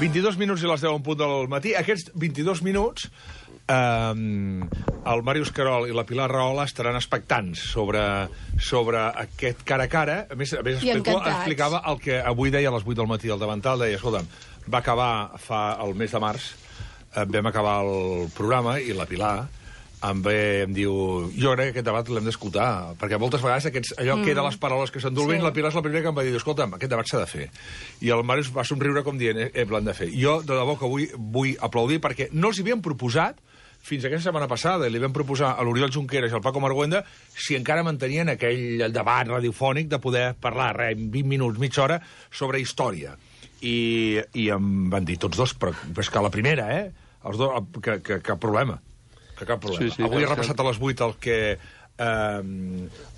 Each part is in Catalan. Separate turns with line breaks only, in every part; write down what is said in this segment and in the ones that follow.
22 minuts i les 10 en punt del matí. Aquests 22 minuts, el Màrius Querol i la Pilar Rahola estaran expectants sobre aquest cara a cara. A més explicava el que avui deia a les 8 del matí al davantal. Deia, escolta'm, va acabar el mes de març, vam acabar el programa i la Pilar em diu, jo crec que aquest debat l'hem d'escoltar, perquè moltes vegades allò que eren les paraules que s'endolven, la Pilar és la primera que em va dir, escolta'm, aquest debat s'ha de fer. I el Màrius va somriure com dient, l'han de fer. Jo, de debò que vull aplaudir, perquè no els hi havíem proposat, fins aquesta setmana passada, i li vam proposar a l'Oriol Junqueras i al Paco Marguenda si encara mantenien aquell debat radiofònic de poder parlar, en 20 minuts, mitja hora, sobre història. I em van dir tots dos, però és que la primera, els dos, que cap problema. Cap problema. Sí, avui he repassat a les 8 el que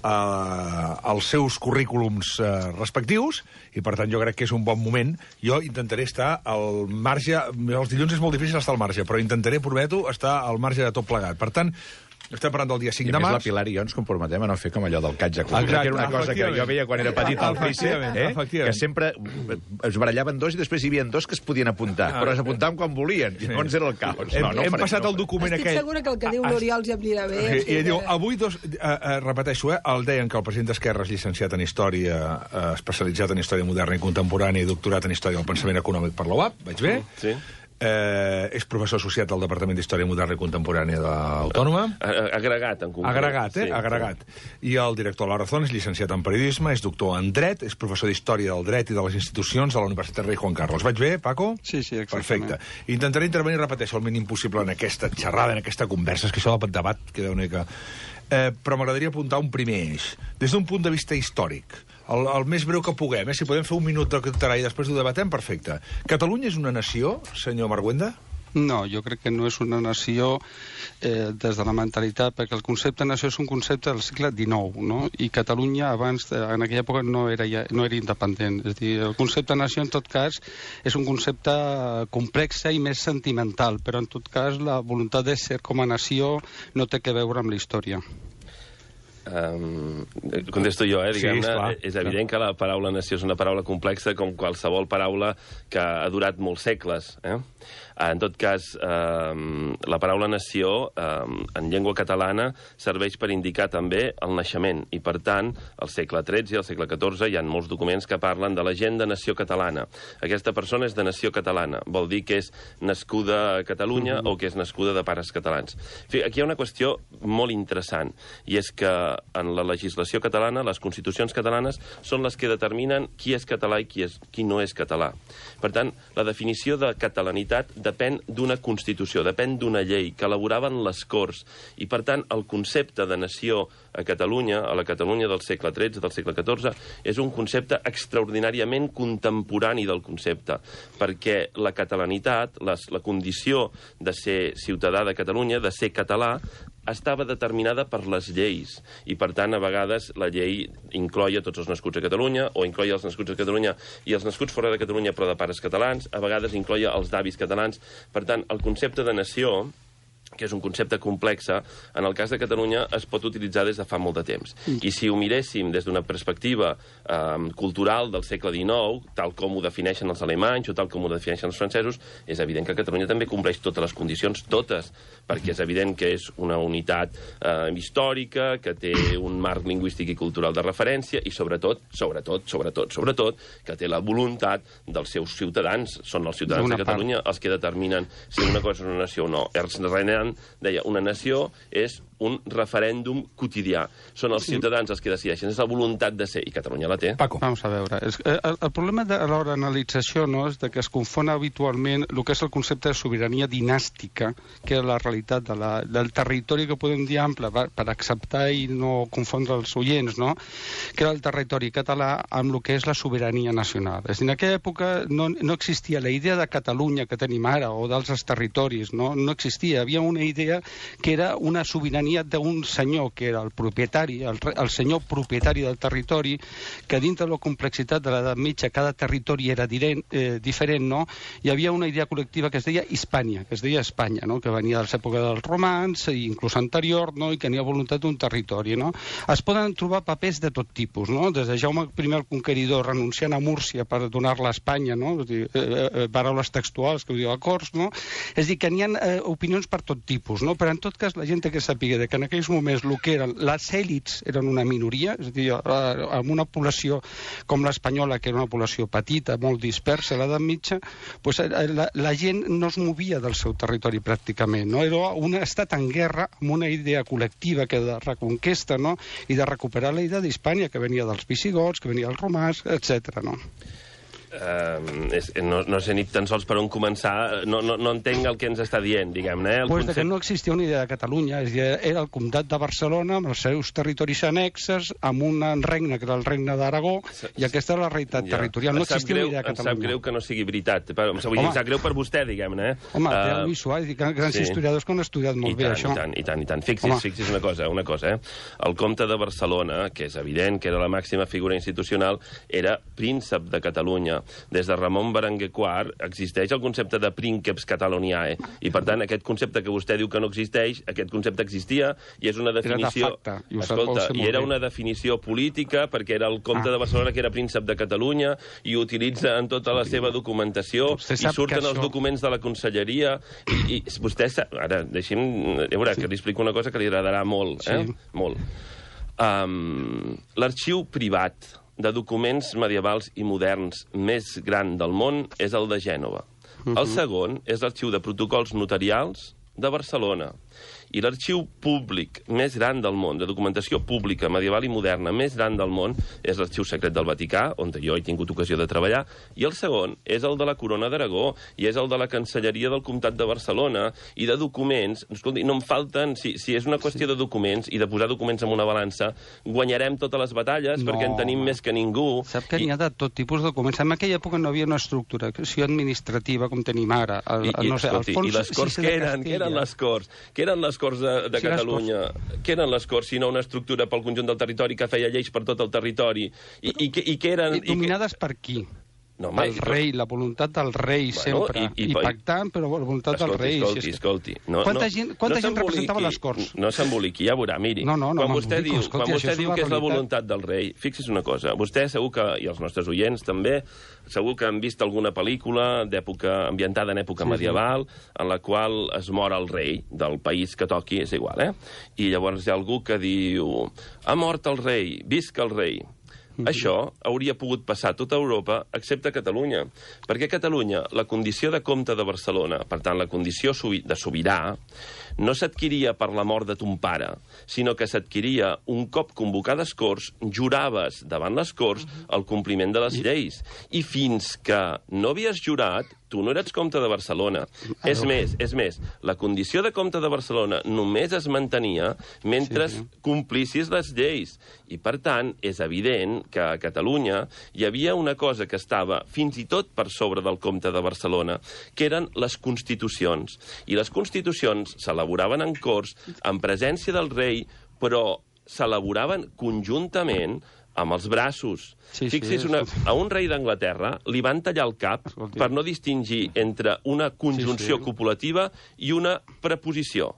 els seus currículums respectius i, per tant, jo crec que és un bon moment. Jo intentaré estar al marge... Els dilluns és molt difícil estar al marge, però intentaré, prometo, estar al marge de tot plegat. Per tant, estem parlant del dia 5 de març.
I a més la Pilar i jo ens comprometem a no fer com allò del catge. Que era una cosa que jo veia quan era petit al Frice, que sempre es barallaven dos i després hi havia dos que es podien apuntar, però s'apuntaven quan volien, i llavors era el caos.
Hem passat el document aquell...
Estic segura que el que diu l'Oriol ja em anirà bé.
I diu, avui repeteixo, el deien que el president d'Esquerra és llicenciat en Història, especialitzat en Història Moderna i Contemporània i doctorat en Història del Pensament Econòmic per la UAP, vaig bé?
Sí.
És professor associat del Departament d'Història Moderna i Contemporània de l'Autònoma.
Agregat, en concret.
Agregat. I el director La Razón és llicenciat en Periodisme, és doctor en Dret, és professor d'Història del Dret i de les Institucions de la Universitat Rei Juan Carlos. Vaig bé, Paco?
Sí, exactament.
Perfecte. Intentaré intervenir, repeteixo, el mínim possible en aquesta xerrada, en aquesta conversa. És que això del debat queda una mica... Però m'agradaria apuntar un primer eix. Des d'un punt de vista històric, el més breu que puguem, si podem fer un minut de català i després ho debatem, perfecte. Catalunya és una nació, senyor Marguenda?
No, jo crec que no és una nació des de la mentalitat, perquè el concepte de nació és un concepte del segle XIX, no? I Catalunya abans, en aquella època, no era independent. És a dir, el concepte de nació, en tot cas, és un concepte complex i més sentimental, però en tot cas la voluntat de ser com a nació no té que veure amb la història.
Contesto jo, diguem-ne, és evident que la paraula nació és una paraula complexa com qualsevol paraula que ha durat molts segles. En tot cas, la paraula nació en llengua catalana serveix per indicar també el naixement i, per tant, al segle XIII i al segle XIV hi ha molts documents que parlen de la gent de nació catalana. Aquesta persona és de nació catalana, vol dir que és nascuda a Catalunya o que és nascuda de pares catalans. Aquí hi ha una qüestió molt interessant, i és que en la legislació catalana, les constitucions catalanes són les que determinen qui és català i qui no és català. Per tant, la definició de catalanitat depèn d'una Constitució, depèn d'una llei que elaboraven les Corts. I, per tant, el concepte de nació a Catalunya, a la Catalunya del segle XIII, del segle XIV, és un concepte extraordinàriament contemporani del concepte, perquè la catalanitat, la condició de ser ciutadà de Catalunya, de ser català, estava determinada per les lleis i, per tant, a vegades la llei incloïa tots els nascuts a Catalunya o incloïa els nascuts a Catalunya i els nascuts fora de Catalunya però de pares catalans, a vegades incloïa els d'avis catalans. Per tant, el concepte de nació, que és un concepte complex, en el cas de Catalunya es pot utilitzar des de fa molt de temps. I si ho miréssim des d'una perspectiva cultural del segle XIX, tal com ho defineixen els alemanys o tal com ho defineixen els francesos, és evident que Catalunya també compleix totes les condicions, totes, perquè és evident que és una unitat històrica, que té un marc lingüístic i cultural de referència i, sobretot, que té la voluntat dels seus ciutadans. Són els ciutadans de Catalunya els que determinen si una cosa és una nació o no. Ernst Renan deia, una nació és un referèndum quotidià. Són els ciutadans els que decideixen, és la voluntat de ser, i Catalunya la té.
Paco. Vamos a veure. El problema a l'hora d'analització no, és que es confon habitualment el que és el concepte de sobirania dinàstica, que és la realitat del territori que podem dir ample, per acceptar i no confondre els oients, no? Que era el territori català amb el que és la sobirania nacional. És a dir, en aquella època no existia la idea de Catalunya que tenim ara, o d'altres territoris, no existia. Hi havia una idea que era una sobirania venia d'un senyor que era el propietari, el senyor propietari del territori, que dintre de la complexitat de l'edat mitja cada territori era diferent, no? Hi havia una idea col·lectiva que es deia Hispània, que es deia Espanya, no? Que venia de l'època dels romans, inclús anterior, no? I que tenia voluntat d'un territori, no? Es poden trobar papers de tot tipus, no? Des de Jaume I el Conqueridor renunciant a Múrcia per donar-la a Espanya, no? És dir, paraules textuals que ho diu a Corts, no? És dir, que n'hi ha opinions per tot tipus, no? Però en tot cas la gent que sàpiga que en aquells moments el que eren les èlits eren una minoria, és a dir, amb una població com l'espanyola, que era una població petita, molt dispersa a l'edat mitja, doncs la gent no es movia del seu territori pràcticament, no? Era un estat en guerra amb una idea col·lectiva que de reconquesta, no? I de recuperar la idea d'Hispània, que venia dels visigots, que venia dels romans, etc. No?
No sé ni tan sols per on començar, no entenc el que ens està dient, diguem-ne.
Pues que no existia una idea de Catalunya, era el comtat de Barcelona amb els seus territoris annexes, amb un regne que era el regne d'Aragó, i aquesta era la realitat territorial. No existia una idea de Catalunya.
Em sap greu que no sigui veritat. Em sap greu per vostè, diguem-ne.
Home, té el Lluís Suárez, grans historiadors que han estudiat molt bé això.
I tant. Fixi's una cosa. El comte de Barcelona, que és evident que era la màxima figura institucional, era príncep de Catalunya. Des de Ramon Berenguer IV existeix el concepte de princeps Cataloniae, i per tant aquest concepte que vostè diu que no existeix, aquest concepte existia i és una definició... Escolta, i era una definició política perquè era el comte de Barcelona que era príncep de Catalunya i utilitza en tota la seva documentació i surten els documents de la conselleria i vostè sap... Ara, deixi'm... Veurà, que li explico una cosa que li agradarà molt, molt. L'arxiu privat de documents medievals i moderns més gran del món és el de Gènova. El segon és l'arxiu de protocols notarials de Barcelona. I l'arxiu públic més gran del món, de documentació pública, medieval i moderna, més gran del món, és l'arxiu secret del Vaticà, on jo he tingut ocasió de treballar, i el segon és el de la Corona d'Aragó, i és el de la Cancelleria del Comtat de Barcelona, i de documents, escolti, no em falten, si és una qüestió de documents, i de posar documents en una balança, guanyarem totes les batalles, perquè en tenim més que ningú.
Sap que n'hi ha de tot tipus de documents. En aquella època no havia una estructuració administrativa com tenim ara.
I les Corts, què eren? Què eren les Corts? Què eren les Corts de Catalunya? Què eren les Corts, sinó una estructura pel conjunt del territori que feia lleis per tot el territori? I què eren...
Dominades per qui? El rei, la voluntat del rei sempre. I pactant, però la voluntat del rei.
Escolti.
Quanta gent representava les Corts?
No s'emboliqui, ja veurà, miri. Quan vostè diu que és la voluntat del rei, fixi's una cosa, vostè segur que, i els nostres oients també, segur que han vist alguna pel·lícula ambientada en època medieval, en la qual es mor el rei del país que toqui, és igual, I llavors hi ha algú que diu: ha mort el rei, visca el rei. Això hauria pogut passar a tota Europa, excepte a Catalunya. Perquè a Catalunya, la condició de comte de Barcelona, per tant, la condició de sobirà, no s'adquiria per la mort de ton pare, sinó que s'adquiria un cop convocades Corts, juraves davant les Corts el compliment de les lleis. I fins que no havies jurat, tu no eres comte de Barcelona. És més, la condició de comte de Barcelona només es mantenia mentre complissis les lleis. I, per tant, és evident que a Catalunya hi havia una cosa que estava fins i tot per sobre del comte de Barcelona, que eren les constitucions. I les constitucions s'elaboraven en Corts, en presència del rei, però s'elaboraven conjuntament amb els braços. Fixi's, a un rei d'Anglaterra li van tallar el cap per no distingir entre una conjunció copulativa i una preposició.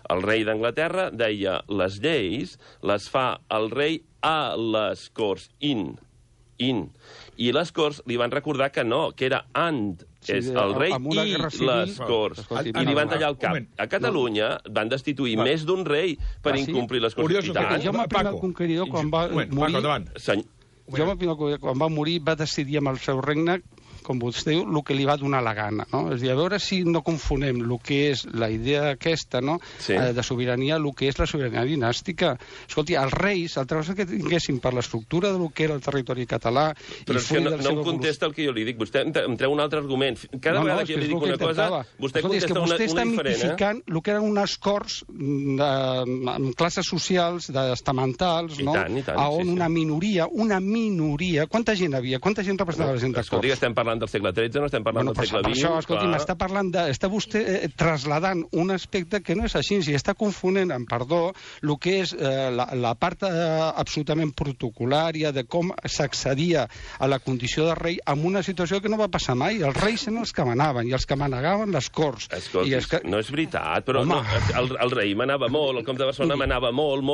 El rei d'Anglaterra deia les lleis les fa el rei a les Corts, i les Corts li van recordar que no, que era és el rei i les Corts. I li van tallar el cap. A Catalunya van destituir més d'un rei per incomplir les Constitucions.
Jaume I el Conqueridor, quan va morir, va decidir amb el seu regne, com vostè diu, el que li va donar la gana, no? És a dir, a veure si no confonem el que és la idea aquesta, no?, de sobirania, el que és la sobirania dinàstica. Escolti, els reis, altra cosa que tinguessin per l'estructura del que era el territori català...
Però és que no em contesta el que jo li dic. Vostè em treu un altre argument. Cada vegada que jo li dic una cosa, vostè contesta una diferent.
Vostè està mitificant el que eren unes Corts amb classes socials, estamentals, no?, on una minoria... Quanta gent havia? Quanta gent representava la gent de Corts?
Escolti, estem parlant parlant del segle XIII, no estem parlant del segle XX.
Per això, escolti'm, està vostè trasladant un aspecte que no és així, i està confonent, amb perdó, el que és la part absolutament protocolària de com s'accedia a la condició de rei amb una situació que no va passar mai. Els reis eren els que manaven, i els que manegaven les corts.
Escolti, no és veritat, però el rei manava molt, el comte de Barcelona manava molt,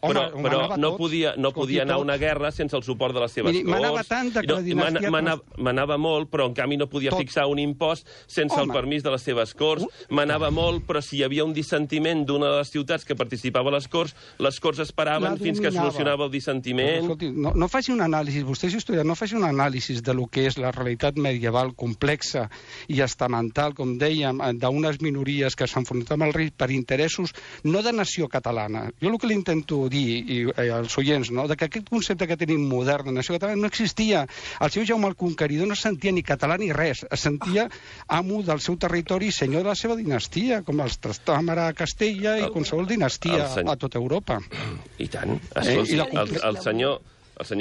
però no podia anar a una guerra sense el suport de les seves corts.
Manava tant que la dinastia...
Manava molt, però en canvi no podia fixar un impost sense el permís de les seves corts. Manava molt, però si hi havia un dissentiment d'una de les ciutats que participava a les corts esperaven fins que solucionava el dissentiment.
Escolti, no faci un anàlisi, vostè és historiador, no faci un anàlisi de lo que és la realitat medieval complexa i estamental, com dèiem, d'unes minories que s'enfrontaven al rei per interessos no de nació catalana. Jo el que li intento dir als oients, que aquest concepte que tenim modern de nació catalana no existia. El seu Jaume el Conqueridor no sentia ni català ni res, es sentia amo del seu territori i senyor de la seva dinastia, com els Trastamara a Castella i qualsevol dinastia a tota Europa.
I tant. El senyor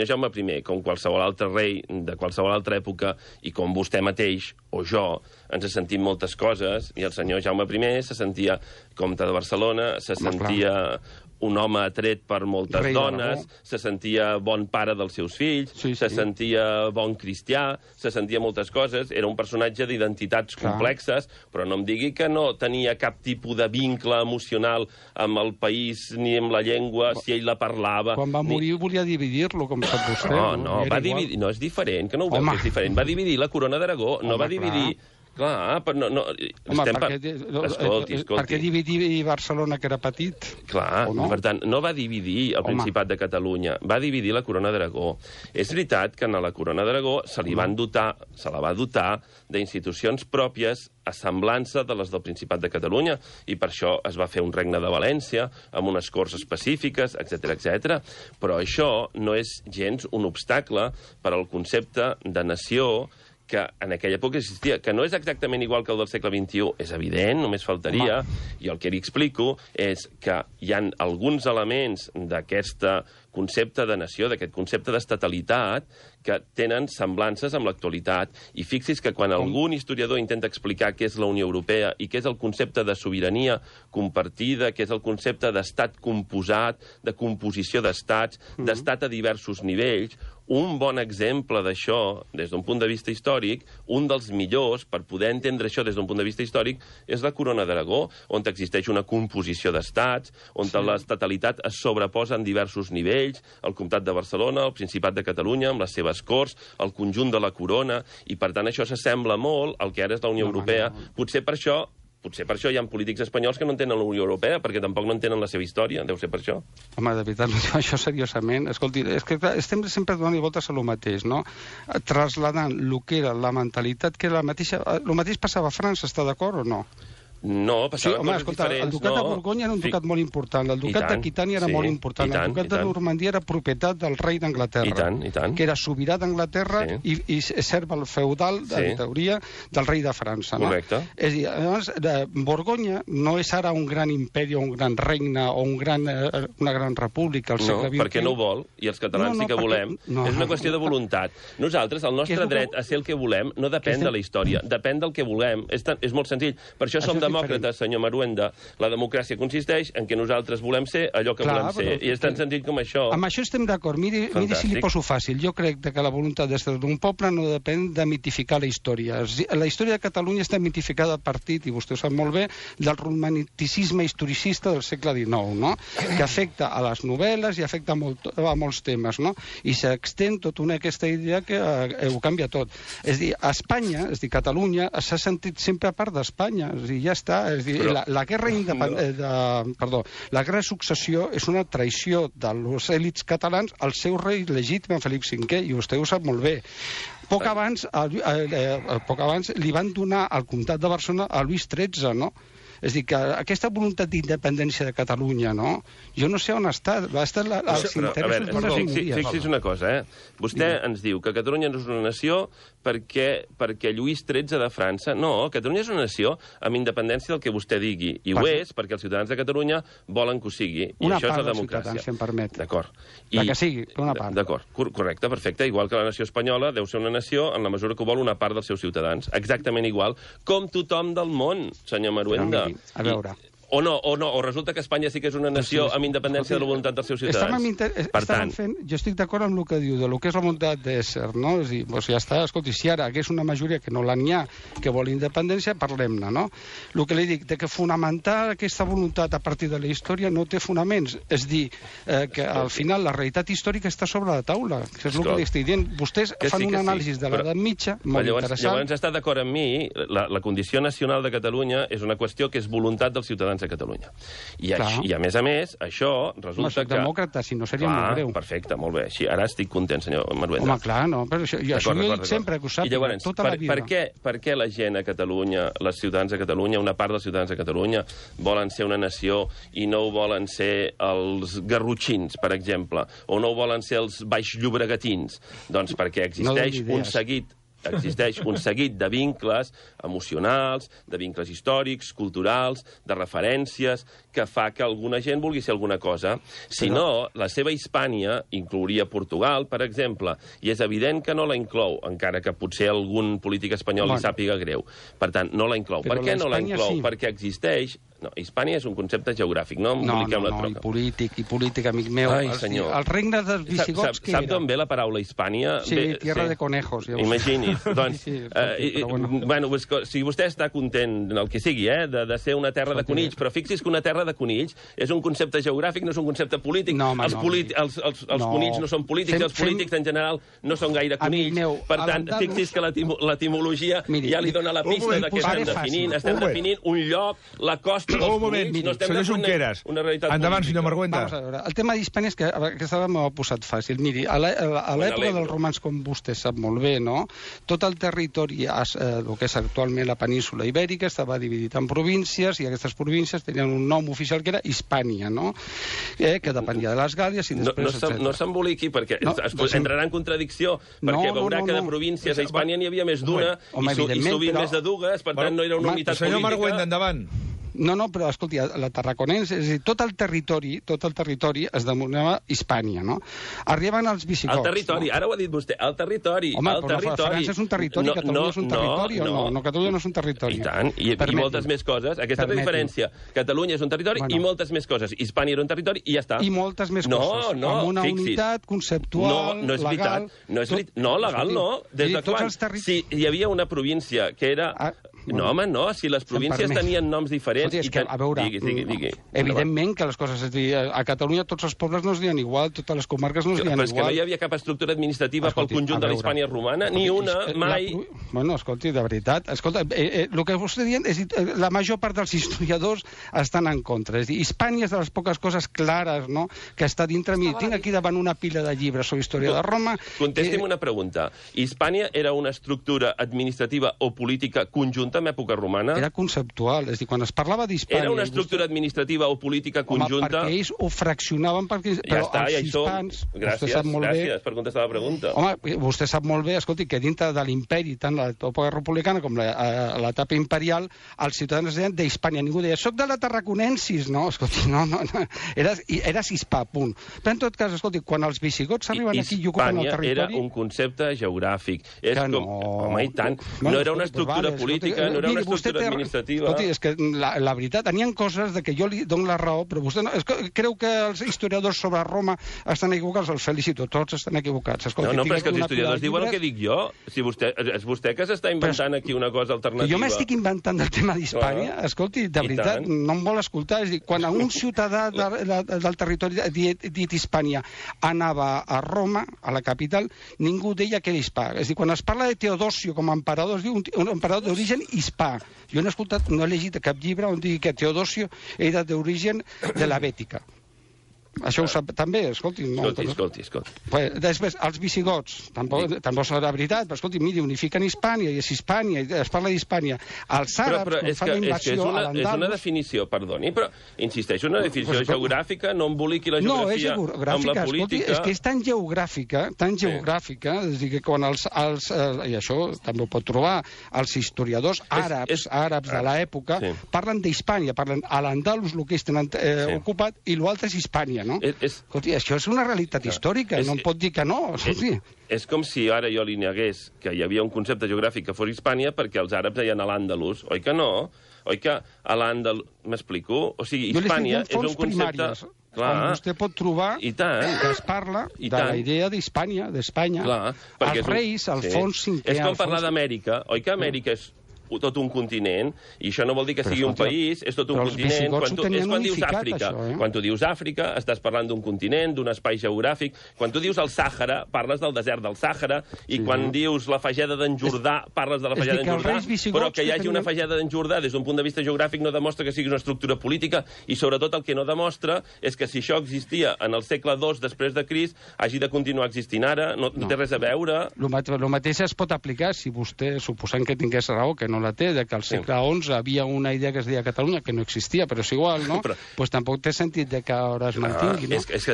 Jaume I, com qualsevol altre rei de qualsevol altra època, i com vostè mateix o jo, ens sentim moltes coses, i el senyor Jaume I se sentia comte de Barcelona, se sentia un home atret per moltes dones, se sentia bon pare dels seus fills, se sentia bon cristià, se sentia moltes coses, era un personatge d'identitats complexes, però no em digui que no tenia cap tipus de vincle emocional amb el país ni amb la llengua, si ell la parlava...
Quan va morir volia dividir-lo, com sap vostè.
Va dividir... No, és diferent, que no ho veu que és diferent. Va dividir la corona d'Aragó, no va dividir... Clar, però no...
Escolti. Per què dividir Barcelona, que era petit?
Clar, per tant, no va dividir el Principat de Catalunya, va dividir la Corona d'Aragó. És veritat que a la Corona d'Aragó se la va dotar d'institucions pròpies a semblança de les del Principat de Catalunya, i per això es va fer un regne de València, amb unes corts específiques, etc. Però això no és gens un obstacle per al concepte de nació que en aquella època existia, que no és exactament igual que el del segle XXI, és evident, només faltaria, i el que li explico és que hi ha alguns elements d'aquest concepte de nació, d'aquest concepte d'estatalitat, que tenen semblances amb l'actualitat. I fixi's que quan algun historiador intenta explicar què és la Unió Europea i què és el concepte de sobirania compartida, què és el concepte d'estat composat, de composició d'estats, d'estat a diversos nivells, un bon exemple d'això, des d'un punt de vista històric, un dels millors per poder entendre això des d'un punt de vista històric, és la Corona d'Aragó, on existeix una composició d'estats, on l'estatalitat es sobreposa en diversos nivells, el Comtat de Barcelona, el Principat de Catalunya, amb les seves corts, el conjunt de la corona, i per tant això s'assembla molt al que ara és la Unió Europea. Potser per això hi ha polítics espanyols que no entenen la Unió Europea, perquè tampoc no entenen la seva història. Deu ser per això.
Home, de veritat, això seriosament... Escolti, és que estem sempre donant voltes a lo mateix, no? Trasladant el que era la mentalitat, que era la mateixa... El mateix passava a França, està d'acord o no?
No, passaven coses diferents.
El ducat de Borgonya era un ducat molt important, el ducat d'Aquitània era molt important, el ducat de Normandia era propietat del rei d'Anglaterra, que era sobirà d'Anglaterra i serva el feudal, en teoria, del rei de França.
Correcte.
És a dir, llavors, Borgonya no és ara un gran imperi o un gran regne o una gran república al segle XX.
No, perquè no ho vol, i els catalans sí que volem. És una qüestió de voluntat. Nosaltres, el nostre dret a ser el que volem no depèn de la història, depèn del que volem. És molt senzill. Per això som demòcrates, senyor Maruenda. La democràcia consisteix en que nosaltres volem ser allò que volem ser. I és tan senzill com això.
Amb això estem d'acord. Miri si li poso fàcil. Jo crec que la voluntat d'estar d'un poble no depèn de mitificar la història. La història de Catalunya està mitificada a partir, i vostè ho sap molt bé, del romanticisme historicista del segle XIX, no? Que afecta a les novel·les i afecta a molts temes, no? I s'extén tota aquesta idea que ho canvia tot. És a dir, a Espanya, és a dir, Catalunya s'ha sentit sempre a part d'Espanya. És a dir, ja està. És a dir, la guerra la guerra de successió és una traïció de les èlits catalans al seu rei legítim, Felip V, i vostè ho sap molt bé. Poc abans li van donar al comtat de Barcelona a Lluís XIII, no? És a dir, que aquesta voluntat d'independència de Catalunya, no? Jo no sé on està. Va estar als interessos d'unes minories.
Fixi's una cosa, Vostè ens diu que Catalunya no és una nació perquè Lluís XIII de França... No, Catalunya és una nació amb independència del que vostè digui. I ho és perquè els ciutadans de Catalunya volen que ho sigui. I
una
això és
part
la
dels
democràcia.
ciutadans, si em permet.
D'acord.
La que sigui, una part.
D'acord, correcte, perfecte. Igual que la nació espanyola deu ser una nació en la mesura que vol una part dels seus ciutadans. Exactament igual com tothom del món, senyor Maruenda.
A veure...
O resulta que Espanya sí que és una nació amb independència de la voluntat dels seus ciutadans.
Jo estic d'acord amb el que diu, de lo que és la voluntat d'ésser, no? És a dir, ja està, escolti, si ara hagués una majoria que no n'hi ha, que vol independència, parlem-ne, no? El que li dic, de que fonamentar aquesta voluntat a partir de la història no té fonaments. És dir, que al final la realitat històrica està sobre la taula, que és el que li estic dient. Vostès fan un anàlisi de l'edat mitja molt interessant.
Llavors està d'acord amb mi, la condició nacional de Catalunya és una qüestió que és voluntat dels ciutadans de Catalunya. I a més, això resulta que...
demòcrata, si no seria molt greu.
Perfecte, molt bé. Així, ara estic content, senyor Maruenda.
Home, clar, no, però això jo dic sempre, que ho sàpiga, tota la vida.
Per què la gent a Catalunya, les ciutadans de Catalunya, una part dels ciutadans de Catalunya, volen ser una nació i no ho volen ser els garrotxins, per exemple, o no ho volen ser els baixllobregatins? Doncs perquè existeix un seguit de vincles emocionals, de vincles històrics, culturals, de referències, que fa que alguna gent vulgui ser alguna cosa. Si no, la seva Hispània inclouria Portugal, per exemple, i és evident que no la inclou, encara que potser algun polític espanyol li sàpiga greu. Per tant, no la inclou. Per què no la inclou? Perquè existeix... No, Hispània és un concepte geogràfic, no emboliquem la troca.
I polític, amic meu. El regne dels visigots, què era?
Sap d'on ve la paraula Hispània?
Sí, tierra de conejos.
Imagini's. Doncs, si vostè està content, el que sigui, de ser una terra de conills, però fixi's que una terra de conills és un concepte geogràfic, no és un concepte polític. Els conills no són polítics, els polítics en general no són gaire conills. Per tant, fixi's que l'etimologia ja li dona la pista de què estem definint. Estem definint un lloc, la costa dels conills.
No estem definint una realitat política. Endavant, senyor Maruenda.
El tema d'Hispània és que aquesta m'ho ha posat fàcil. Miri, a l'època dels romans, com vostè sap molt bé, no? Tot el territori, el que és actualment la península Ibèrica, estava dividit en províncies, i aquestes províncies tenien un nom oficial que era Hispània, no? Que depenia de les Gàlies i després...
No s'emboliqui, perquè entrarà en contradicció, perquè veurà que de províncies a Hispània n'hi havia més d'una, i sovint més de dues, per tant no era una unitat política.
Senyor Maruenda, endavant.
No, però, escolti, la Tarraconense, és a dir, tot el territori es denominava Hispània, no? Arriben els visigots.
El territori, ara ho ha dit vostè, el territori.
Home, però França és un territori, Catalunya és un territori, o no? No, Catalunya no és un territori.
I tant, i moltes més coses. Aquesta és la diferència. Catalunya és un territori i moltes més coses. Hispània era un territori i ja està.
I moltes més coses. Amb una unitat conceptual, legal...
No, legal no. Des de quan? Si hi havia una província que era... No, home, no. Si les províncies tenien noms diferents...
A veure, evidentment que les coses... És a dir, a Catalunya tots els pobles no es diuen igual, totes les comarques no es diuen igual.
Però és que no hi havia cap estructura administrativa pel conjunt de la Hispània romana, ni una, mai...
Bueno, escolti, de veritat, escolta, el que vostè dient és la major part dels historiadors estan en contra. És a dir, Hispània és de les poques coses clares, no?, que està dintre mi. Tinc aquí davant una pila de llibres sobre història de Roma...
Contesti'm una pregunta. Hispània era una estructura administrativa o política conjunta en època romana?
Era conceptual, és a dir, quan es parlava d'Hispània...
Era una estructura administrativa o política conjunta?
Home, perquè ells ho fraccionaven, però els hispans...
Gràcies per contestar la pregunta.
Home, vostè sap molt bé, escolti, que dintre de l'imperi, tant l'etapa republicana com l'etapa imperial, els ciutadans deien d'Hispània. Ningú deia, soc de la Tarraconensis, no? Escolti, no. Eres hispà, punt. Però en tot cas, escolti, quan els visigots arriben aquí i ocupen el territori...
Hispània era un concepte geogràfic. Home, i tant. No era una estructura política, no era una estructura administrativa.
Escolti, és que la veritat, n'hi ha coses de que jo li dono la raó, però vostè no... Creu que els historiadors sobre Roma estan equivocats? Els felicito, tots estan equivocats.
No, però és que els historiadors diuen el que dic jo. És vostè que s'està inventant aquí una cosa alternativa.
Jo m'estic inventant del tema d'Hispània. Escolti, de veritat, no em vol escoltar. És a dir, quan un ciutadà del territori dit Hispània anava a Roma, a la capital, ningú deia que era hispà. És a dir, quan es parla de Teodosio com a emperador, es diu un emperador d'origen hispà. Jo no he llegit cap llibre on digui que Teodosio era d'origen de la Bètica. Això ho sap també, escolti.
Escolti.
Després, els visigots, tampoc serà veritat, però escolti, miri, unifiquen Hispània, i és Hispània, i es parla d'Hispània. Els àrabs, quan fan la invasió a l'Andalus...
És una definició, perdoni, però insisteix, una definició geogràfica, no emboliqui la geografia amb la política...
És que és tan geogràfica, és dir, que quan i això també ho pot trobar, els historiadors àrabs de l'època parlen d'Hispània, parlen a l'Andalus, el que tenen ocupat, i l'altre és Hispània, no? Escolti, això és una realitat històrica, no em pot dir que no.
És com si ara jo li negués que hi havia un concepte geogràfic que fos Hispània perquè els àrabs deien a l'Àndalus, oi que no? Oi que a l'Àndalus... M'explico? O sigui, Hispània és un concepte...
Clar. Vostè pot trobar que es parla de la idea d'Hispània, d'Espanya. Els reis, Alfons V...
És com parlar d'Amèrica, oi que Amèrica és tot un continent, i això no vol dir que sigui un país, és tot un continent. És quan dius Àfrica. Quan tu dius Àfrica, estàs parlant d'un continent, d'un espai geogràfic. Quan tu dius el Sàhara, parles del desert del Sàhara, i quan dius la fageda d'en Jordà, parles de la fageda d'en Jordà, però que hi hagi una fageda d'en Jordà des d'un punt de vista geogràfic no demostra que sigui una estructura política, i sobretot el que no demostra és que si això existia en el segle II després de Crist, hagi de continuar existint ara, no té res a veure.
El mateix es pot aplicar si vostè, suposant que tingués raó, que no la té, que al segle XI havia una idea que es deia Catalunya, que no existia, però és igual, no? Doncs tampoc té sentit que ara es mantingui, no?
És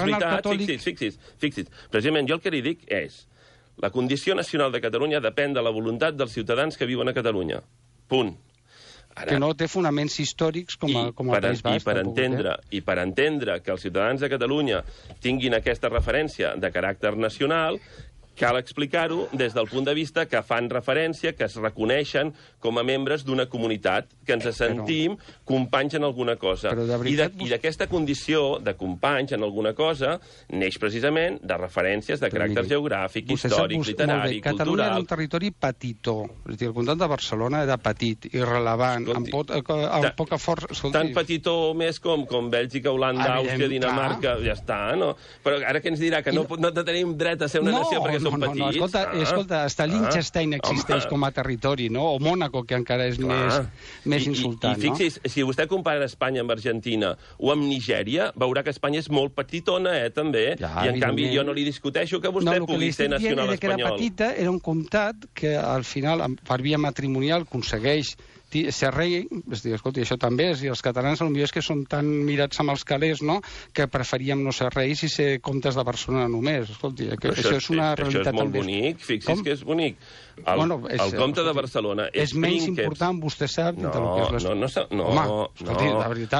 veritat. Fixi's. Precisament, jo el que li dic és la condició nacional de Catalunya depèn de la voluntat dels ciutadans que viuen a Catalunya. Punt.
Que no té fonaments històrics com el País Basc.
I per entendre que els ciutadans de Catalunya tinguin aquesta referència de caràcter nacional, cal explicar-ho des del punt de vista que fan referència, que es reconeixen com a membres d'una comunitat, que ens sentim companys en alguna cosa. I d'aquesta condició de companys en alguna cosa neix precisament de referències de caràcter geogràfic, històric, literari, cultural...
Catalunya era un territori petitó. És a dir, el comtat de Barcelona era petit, irrellevant, amb poca força...
Tan petitó més com Bèlgica, Holanda, Àustria, Dinamarca, ja està, no? Però ara què ens dirà? Que no tenim dret a ser una nació perquè som petits?
Escolta, hasta Liechtenstein existeix com a territori, no? O Mònaco, que encara és més insultant, no?
I fixi's, si vostè compara Espanya amb Argentina o amb Nigèria, veurà que Espanya és molt petitona, també. I, en canvi, jo no li discuteixo que vostè pugui ser nacional espanyol.
Que era petita, era un comtat que, al final, per via matrimonial, aconsegueix ser rei, és dir, escolti, això també és, i els catalans potser és que són tan mirats amb els calés, no?, que preferíem no ser reis i ser comtes de Barcelona només. Escolti, això és una realitat també.
Això és molt bonic, fixi's que és bonic. El comte de Barcelona és
menys important, vostè sap, del que és l'Estat.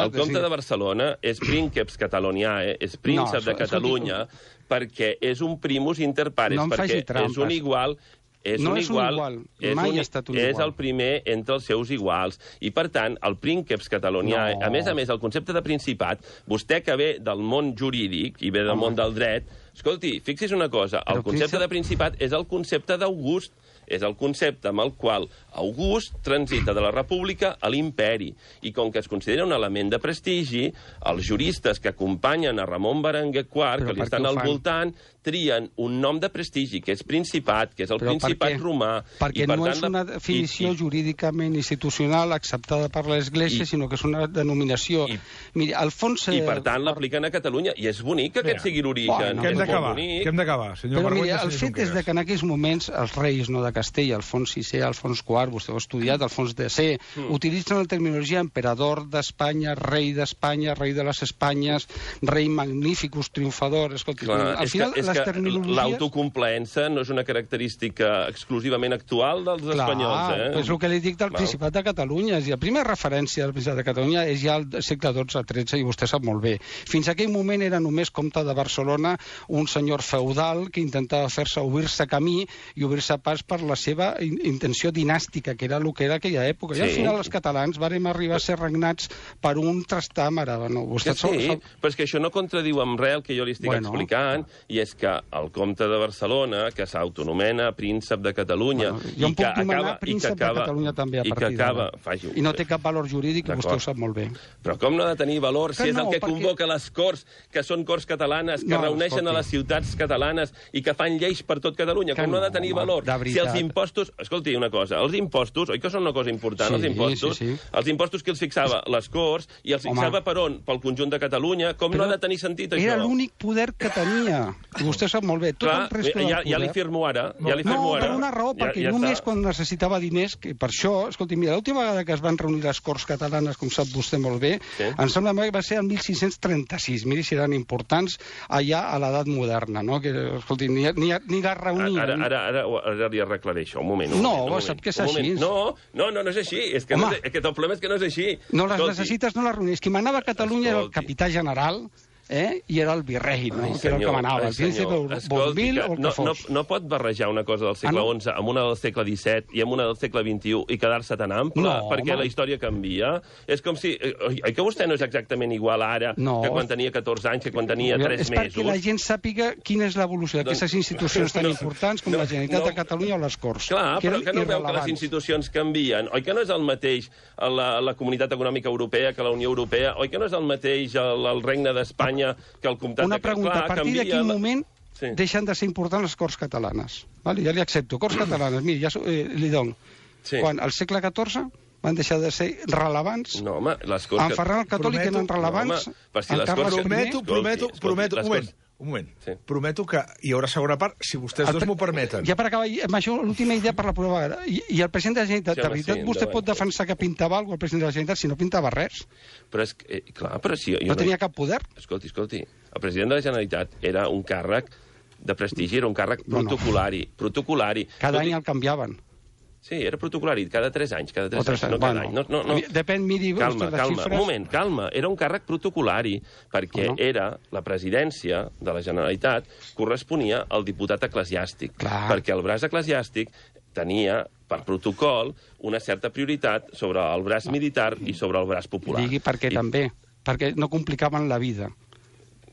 El comte de Barcelona és prínceps cataloniae, és príncep de Catalunya, perquè és un primus inter pares, perquè és un igual...
mai ha estat un igual.
És el primer entre els seus iguals. I, per tant, el prínceps catalonià, a més, el concepte de principat, vostè que ve del món jurídic i ve del món del dret, escolti, fixi's una cosa, el concepte de principat és el concepte d'August, és el concepte amb el qual August transita de la república a l'imperi. I com que es considera un element de prestigi, els juristes que acompanyen a Ramon Berenguer IV, que li estan al voltant, trien un nom de prestigi, que és Principat, que és el Principat romà.
Perquè no és una definició jurídicament institucional acceptada per l'Església, sinó que és una denominació. Miri, Alfons...
I, per tant, l'apliquen a Catalunya. I és bonic que aquest sigui l'origen.
Que hem d'acabar, senyor
Però mira, el fet és que en aquells moments els reis de Castella, Alfons VI, Alfons IV, vostè ho ha estudiat, Alfons X, utilitzen la terminologia emperador d'Espanya, rei d'Espanya, rei de les Espanyes, rei magníficus, triomfador... Escolti, al final les terminologies...
L'autocomplaença no és una característica exclusivament actual dels espanyols,
és el que li dic del Principat de Catalunya. La primera referència del Principat de Catalunya és ja al segle XII-XIII, i vostè sap molt bé. Fins a aquell moment era només comte de Barcelona, un senyor feudal que intentava fer-se obrir-se camí i obrir-se pas per la seva intenció dinàstica, que era el que era aquella època. I al final els catalans vàrem arribar a ser regnats per un trastàmara.
Però és que això no contradiu amb res el que jo li estic explicant, i és que el comte de Barcelona, que s'autonomena príncep de Catalunya,
jo em puc nomenar príncep de Catalunya també a partir d'ara. I no té cap valor jurídic, vostè ho sap molt bé.
Però com no ha de tenir valor si és el que convoca les Corts, que són Corts catalanes, que reuneixen a les ciutats catalanes i que fan lleis per tot Catalunya? Com no ha de tenir valor? Si el els impostos... Escolti, una cosa, els impostos, oi que són una cosa important, els impostos? Els impostos que els fixava les Corts, i els fixava per on? Pel conjunt de Catalunya. Com no ha de tenir sentit, això?
Era l'únic poder que tenia. I vostè sap molt bé. Tot el resto del poder...
Ja li firmo ara.
No, per una raó, perquè només quan necessitava diners, que per això, escolti, mira, l'última vegada que es van reunir les Corts catalanes, com sap vostè molt bé, em sembla que va ser el 1636. Miri si eren importants allà a l'edat moderna, no? Que, escolti, ni la reunien.
Ara li arreglaré això, un moment.
No, sap que és així.
No és així. És que el problema és que no és així.
No les necessites, no les reunies. Qui manava a Catalunya era el capità general, i era el virrei, no? Que era el que manava, el príncipe Bombil o el que fos.
No pot barrejar una cosa del segle XI amb una del segle XVII i amb una del segle XXI i quedar-se tan ample, perquè la història canvia. És com si... Oi que vostè no és exactament igual ara que quan tenia 14 anys, que quan tenia 3 mesos?
És perquè la gent sàpiga quina és l'evolució d'aquestes institucions tan importants com la Generalitat de Catalunya o les Corts.
Clar, però que no veu que les institucions canvien? Oi que no és el mateix la Comunitat Econòmica Europea que la Unió Europea? Oi que no és el mateix el Regne d'Espanya que el comtat
una pregunta, a partir de quin moment deixen de ser importants les Corts catalanes? Vale, ja li accepto. Corts catalanes, miri, ja li dono. Quan al segle XIV van deixar de ser rellevants?
No, home, les Corts...
En Ferran el Catòlic eren rellevants?
Prometo, un moment. Prometo que hi haurà segona part, si vostès dos m'ho permeten.
Ja per acabar, amb això, l'última idea per la prova. I el president de la Generalitat, de veritat, vostè pot defensar que pintava alguna cosa el president de la Generalitat si no pintava res?
Però és que, clar, però si...
No tenia cap poder?
Escolti, el president de la Generalitat era un càrrec de prestigi, era un càrrec protocolari.
Cada any el canviaven.
Sí, era protocolari, cada 3 anys, no cada any. No.
Depèn, miri...
Calma, un moment, calma. Era un càrrec protocolari, perquè era la presidència de la Generalitat corresponia al diputat eclesiàstic. Perquè el braç eclesiàstic tenia, per protocol, una certa prioritat sobre el braç militar i sobre el braç popular.
Digui per què també, perquè no complicaven la vida.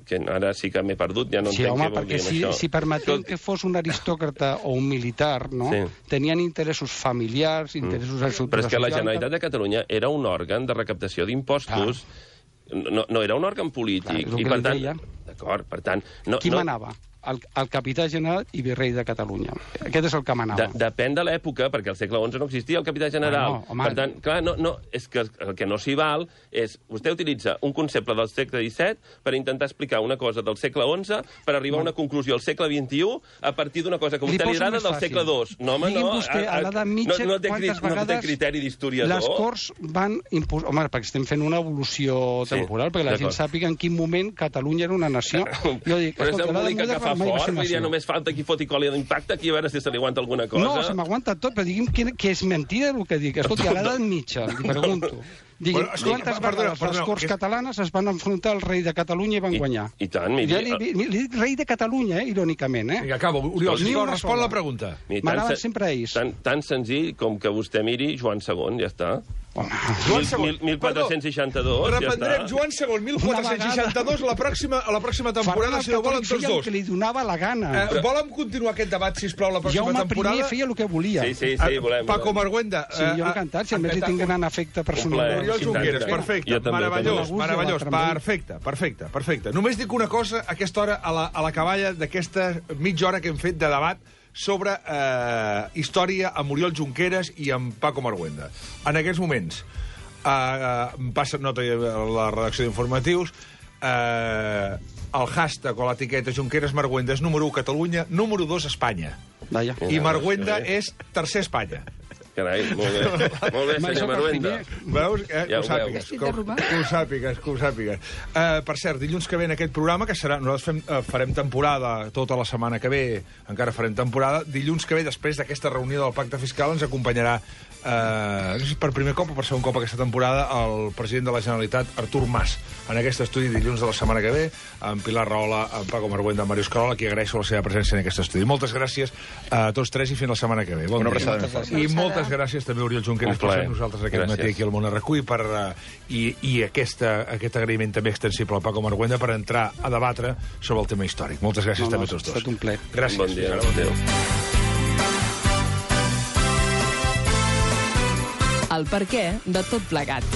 Que ara sí que m'he perdut, ja no entenc què vol dir això.
Si permetem que fos un aristòcrata o un militar, no? Tenien interessos familiars, interessos...
Però és que la Generalitat de Catalunya era un òrgan de recaptació d'impostos, no era un òrgan polític.
I per tant...
D'acord, per tant...
Qui manava? El capità general i virrei de Catalunya. Aquest és el que manava.
Depèn de l'època, perquè al segle XI no existia el capità general. Per tant, clar, és que el que no s'hi val és... Vostè utilitza un concepte del segle XVII per intentar explicar una cosa del segle XI per arribar a una conclusió al segle XXI a partir d'una cosa que a vostè li agrada del segle II. No, home, no.
Vostè, a l'edat mitja,
no té criteri d'historiador.
Les Corts van imposar... Home, perquè estem fent una evolució temporal, perquè la gent sàpiga en quin moment Catalunya era una nació. Jo dic, escolta,
ja només falta qui foti colla d'impacte, aquí a veure si se li aguanta alguna cosa.
No, se m'aguanta tot, però digui'm que és mentida el que dic. Escolti, a l'edat mitja, li pregunto. Digui'm, quantes vegades les Corts catalanes es van enfrontar al rei de Catalunya i van guanyar?
I tant, miri...
Li dic rei de Catalunya, irònicament,
Vinga, acabo. Oriol, respon la pregunta.
M'agrada sempre ells.
Tan senzill com que vostè miri Joan II, ja està.
Joan II.
1462,
reprendrem Joan II, 1462, a la pròxima temporada, si no volen tots dos.
El que li donava la gana.
Volen continuar aquest debat, sisplau, la pròxima temporada?
Jaume I feia el que volia.
Sí, volem.
Paco Marguenda.
Sí, jo encantat, si a més li tinc gran afecte personal.
Oriol Junqueras, perfecte, meravellós, perfecte. Només dic una cosa a aquesta hora, a la caballa d'aquesta mitja hora que hem fet de debat sobre història amb Oriol Junqueras i amb Paco Marguenda. En aquests moments, passa nota a la redacció d'informatius, el hashtag o l'etiqueta Junqueras Marguenda és número 1 Catalunya, número 2 Espanya. I Marguenda és tercer Espanya.
Carai, molt bé, senyor Marguenda.
Veus? Que ho sàpigues. Per cert, dilluns que ve en aquest programa, que serà... Nosaltres farem temporada tota la setmana que ve, encara farem temporada. Dilluns que ve, després d'aquesta reunió del Pacte Fiscal, ens acompanyarà, no sé si per primer cop o per segon cop aquesta temporada, el president de la Generalitat, Artur Mas, en aquest estudi dilluns de la setmana que ve, amb Pilar Rahola, amb Paco Marguenda, amb Màrius Carola, qui agraeixo la seva presència en aquest estudi. Moltes gràcies a tots tres i fins la setmana que ve.
Una abraçada.
I moltes gràcies també, Oriol Junqueras, per ser nosaltres aquest matí aquí al Món RQ i aquest agraïment també extensible al Paco Marguenda per entrar a debatre sobre el tema històric. Moltes gràcies també a tots dos.
Ha estat un plaer.
Gràcies.
Bon dia. Adéu.
El perquè de tot plegat.